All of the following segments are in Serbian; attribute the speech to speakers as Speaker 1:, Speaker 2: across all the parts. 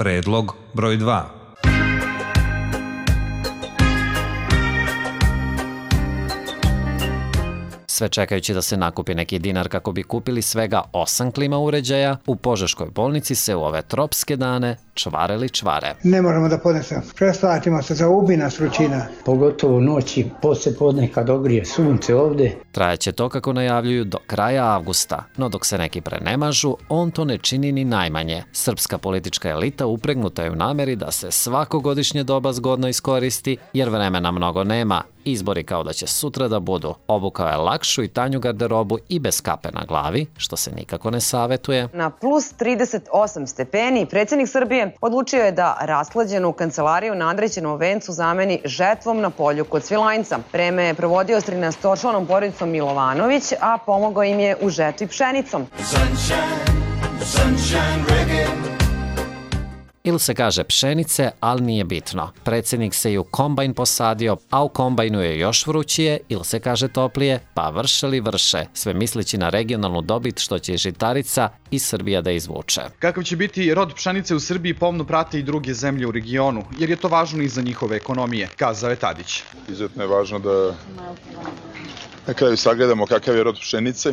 Speaker 1: Predlog broj 2.
Speaker 2: Sve čekajući da se nakupi neki dinar kako bi kupili svega 8 klima uređaja, u Požeškoj bolnici se u ove tropske dane čvare.
Speaker 3: Ne možemo da podnesemo. Prestvatimo se, zaubi nas vrućina.
Speaker 4: Pogotovo noći, posle podne kad ogrije sunce ovde.
Speaker 2: Trajaće to kako najavljuju do kraja avgusta, no dok se neki prenemažu, on to ne čini ni najmanje. Srpska politička elita upregnuta je u nameri da se svakogodišnje doba zgodno iskoristi, jer vremena mnogo nema. Izbori kao da će sutra da budu. Obukao je lakšu i tanju garderobu i bez kape na glavi, što se nikako ne savetuje.
Speaker 5: Na plus 38 stepeni predsjednik Srbije odlučio je da rashlađenu kancelariju na Andrećenom vencu zameni žetvom na polju kod Svilajnca. Vreme je provodio s 13-članom porodicom Milovanović, a pomogao im je u žetvi pšenicom.
Speaker 2: Ili se kaže pšenice, ali nije bitno. Predsjednik se i u kombajn posadio, a u kombajnu je još vrućije, ili se kaže toplije, pa vrše li vrše, sve misleći na regionalnu dobit što će žitarica i Srbija da izvuče.
Speaker 6: Kakav će biti rod pšenice u Srbiji pomno prate i druge zemlje u regionu, jer je to važno i za njihove ekonomije, kazao je Tadić.
Speaker 7: Izuzetno je važno da na kraju sagledamo kakav je rod pšenice.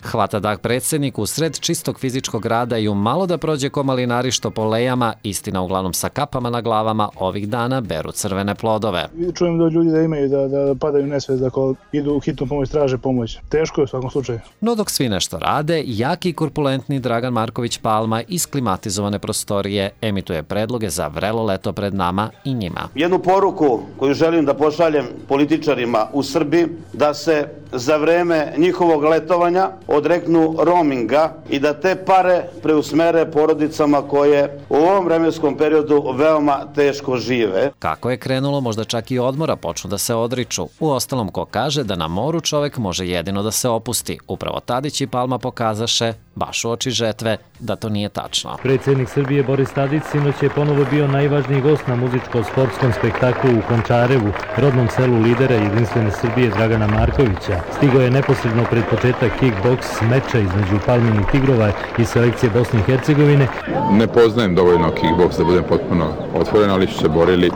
Speaker 2: Hvata dah predsjednik u sred čistog fizičkog rada i u malo da prođe ko malinari što po lejama, istina uglavnom sa kapama na glavama, ovih dana beru crvene plodove.
Speaker 8: Čujem da ljudi da imaju da padaju nesvest ako idu u hitnu pomoć, traže pomoć. Teško je u svakom slučaju.
Speaker 2: No dok svi nešto rade, jaki i korpulentni Dragan Marković Palma iz klimatizovane prostorije emituje predloge za vrelo leto pred nama i njima.
Speaker 9: Jednu poruku koju želim da pošaljem političarima u Srbiji, da se za vreme njihovog letovanja odreknu roaminga i da te pare preusmere porodicama koje u ovom vremenskom periodu veoma teško žive.
Speaker 2: Kako je krenulo, možda čak i odmora počnu da se odriču. Uostalom, ko kaže da na moru čovek može jedino da se opusti. Upravo Tadić i Palma pokazaše, baš u oči žetve, da to nije tačno.
Speaker 10: Predsjednik Srbije Boris Tadić sinoć je ponovo bio najvažniji gost na muzičko-sportskom spektaklu u Končarevu, rodnom selu lidera Jedinstvene Srbije Dragana Markovića. Stigao je neposredno pred početak kickboks meča između Palminih Tigrova i selekcije Bosne i Hercegovine.
Speaker 7: Ne poznajem dovoljno kickboks da budem potpuno otvoren, ali su se borili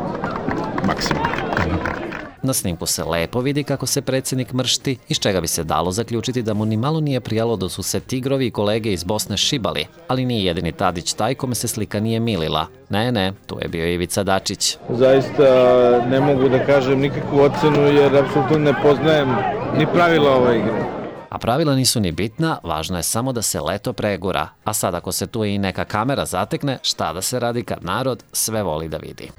Speaker 7: maksimum.
Speaker 2: Na snimku se lepo vidi kako se predsjednik mršti, iz čega bi se dalo zaključiti da mu ni malo nije prijalo da su se Tigrovi i kolege iz Bosne šibali, ali nije jedini Tadić taj kome se slika nije milila. Ne, tu je bio Ivica Dačić.
Speaker 11: Zaista ne mogu da kažem nikakvu ocenu jer apsolutno ne poznajem ni pravila ove igre.
Speaker 2: A pravila nisu ni bitna, važno je samo da se leto pregura. A sad ako se tu i neka kamera zatekne, šta da se radi kad narod sve voli da vidi.